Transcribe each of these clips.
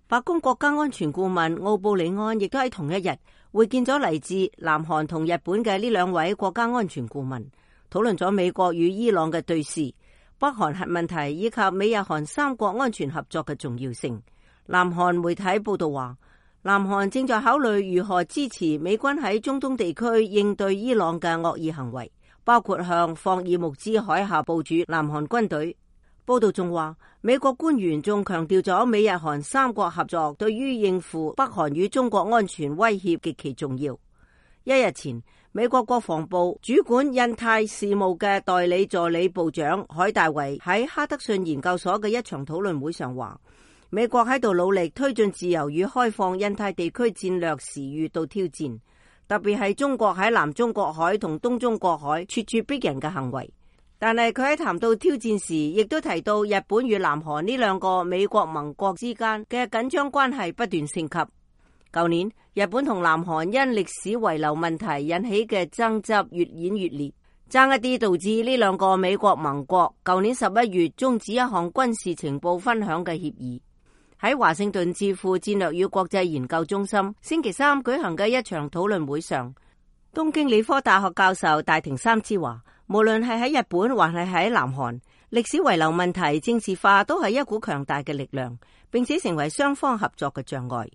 白宮國家安全顧問奧布里安亦都喺同一日會見咗嚟自南韓同日本嘅呢兩位國家安全顧問，討論咗美國與伊朗嘅對峙、北韓核問題以及美日韓三國安全合作嘅重要性。南韓媒體報道話，南韓正在考慮如何支持美軍喺中東地區應對伊朗嘅惡意行為，包括向霍爾木茲海峽部署南韓軍隊。報道仲話，美國官員仲強調咗美日韓三國合作對於應付北韓與中國安全威脅極其重要。一日前，美國國防部主管印太事務嘅代理助理部長海大維喺哈德遜研究所嘅一場討論會上話，美國喺度努力推進自由與開放印太地區戰略時遇到挑戰，特別係中國喺南中國海同東中國海咄咄逼人嘅行為。但係佢喺談到挑戰時，亦都提到日本與南韓呢兩個美國盟國之間嘅緊張關係不斷升級。舊年，日本同南韓因歷史遺留問題引起嘅爭執越演越烈，爭一啲導致呢兩個美國盟國舊年11月終止一項軍事情報分享嘅協議。喺華盛頓智庫戰略與國際研究中心星期三舉行嘅一場討論會上，東京理科大學教授大庭三之話，無論係喺日本還係喺南韓，歷史遺留問題政治化都係一股強大嘅力量，並且成為雙方合作嘅障礙。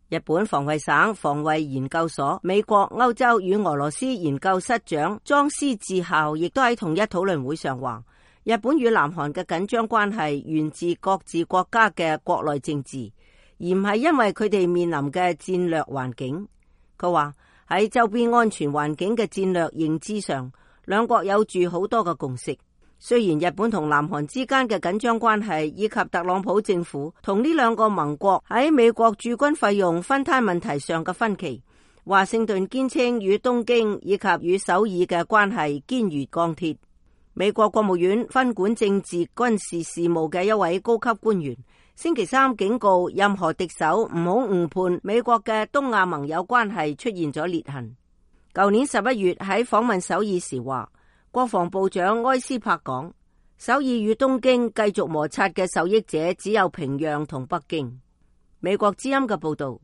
日本防衛省防衛研究所美國、歐洲與俄羅斯研究室長莊司治校亦都喺同一討論會上話，日本與南韓嘅緊張關係源自各自國家嘅國內政治，而唔係因為佢哋面臨嘅戰略環境。佢話喺周邊安全環境嘅戰略認知上，兩國有住好多嘅共識。雖然日本同南韓之間嘅緊張關係以及特朗普政府同呢兩個盟國喺美國駐軍費用分攤問題上嘅分歧，華盛頓堅稱與東京以及與首爾嘅關係堅如鋼鐵。美國國務院分管政治軍事事務嘅一位高級官員星期三警告任何敵手唔好誤判美國嘅東亞盟友關係出現咗裂痕。舊年11月喺訪問首爾時話，國防部長埃斯珀講，首爾與東京繼續摩擦嘅受益者只有平壤同北京。美國之音嘅報道。